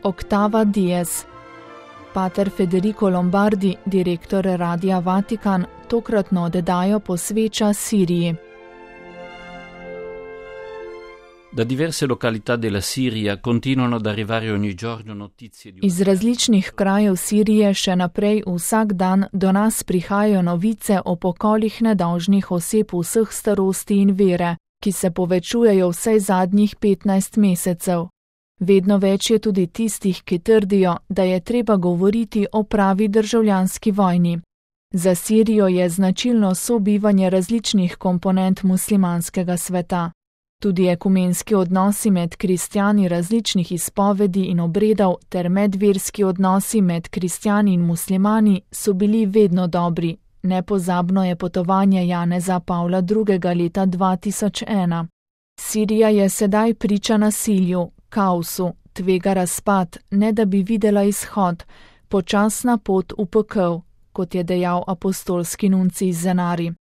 Octava Dies. Pater Federico Lombardi, direktor Radia Vatikan, tokratno oddajo posveča Siriji. Da diverse località della Siria continuano ad arrivare ogni giorno notizie di... Iz različnih krajev Sirije še naprej vsak dan do nas prihajajo novice o pokolih nedolžnih oseb vseh starosti in vere, ki se povečujejo vsaj zadnjih 15 mesecev. Vedno več je tudi tistih, ki trdijo, da je treba govoriti o pravi državljanski vojni. Za Sirijo je značilno sobivanje različnih komponent muslimanskega sveta. Tudi ekumenski odnosi med kristjani različnih izpovedi in obredov ter medverski odnosi med kristjani in muslimani so bili vedno dobri. Nepozabno je potovanje Janeza Pavla II. Leta 2001. Sirija je sedaj priča nasilju, kaosu, tvega razpad, ne da bi videla izhod, počasna pot v pekel, kot je dejal apostolski nuncij Zenari.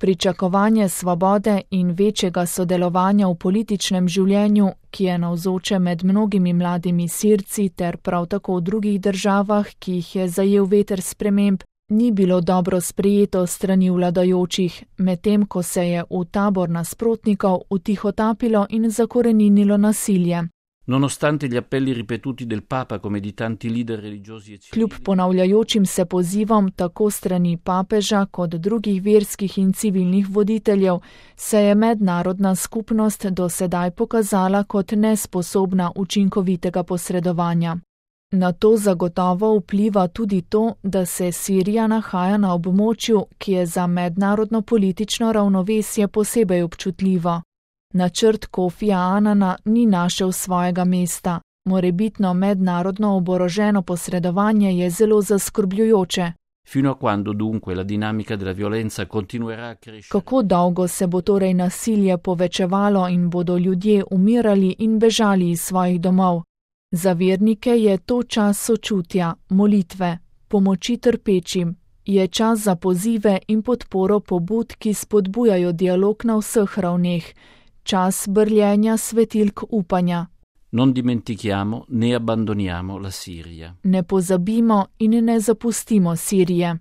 Pričakovanje svobode in večjega sodelovanja v političnem življenju, ki je navzoče med mnogimi mladimi Sirci ter prav tako v drugih državah, ki jih je zajel veter sprememb, ni bilo dobro sprejeto strani vladajočih, medtem ko se je v tabor nasprotnikov utihotapilo in zakoreninilo nasilje. Nonostante gli appelli ripetuti del Papa come di tanti leader religiosi e civili. Kljub ponavljajočim se pozivom tako strani papeža kot drugih verskih in civilnih voditeljev, se je mednarodna skupnost do sedaj pokazala kot nesposobna učinkovitega posredovanja. Na to zagotovo vpliva tudi to, da se Sirija nahaja na območju, ki je za mednarodno politično ravnovesje posebej občutljivo. Načrt Kofija Anana ni našel svojega mesta. Morebitno mednarodno oboroženo posredovanje je zelo zaskrbljujoče. Fino a quando dunque la dinamica della violenza continuerà a crescere? Kako dolgo se bo torej nasilje povečevalo in bodo ljudje umirali in bežali iz svojih domov? Za vernike je to čas sočutja, molitve, pomoči trpečim. Je čas za pozive in podporo pobud, ki spodbujajo dialog na vseh ravneh. Čas brljenja svetilk upanja. Non dimentichiamo né abbandoniamo la Siria. Ne pozabimo in ne zapustimo Sirije.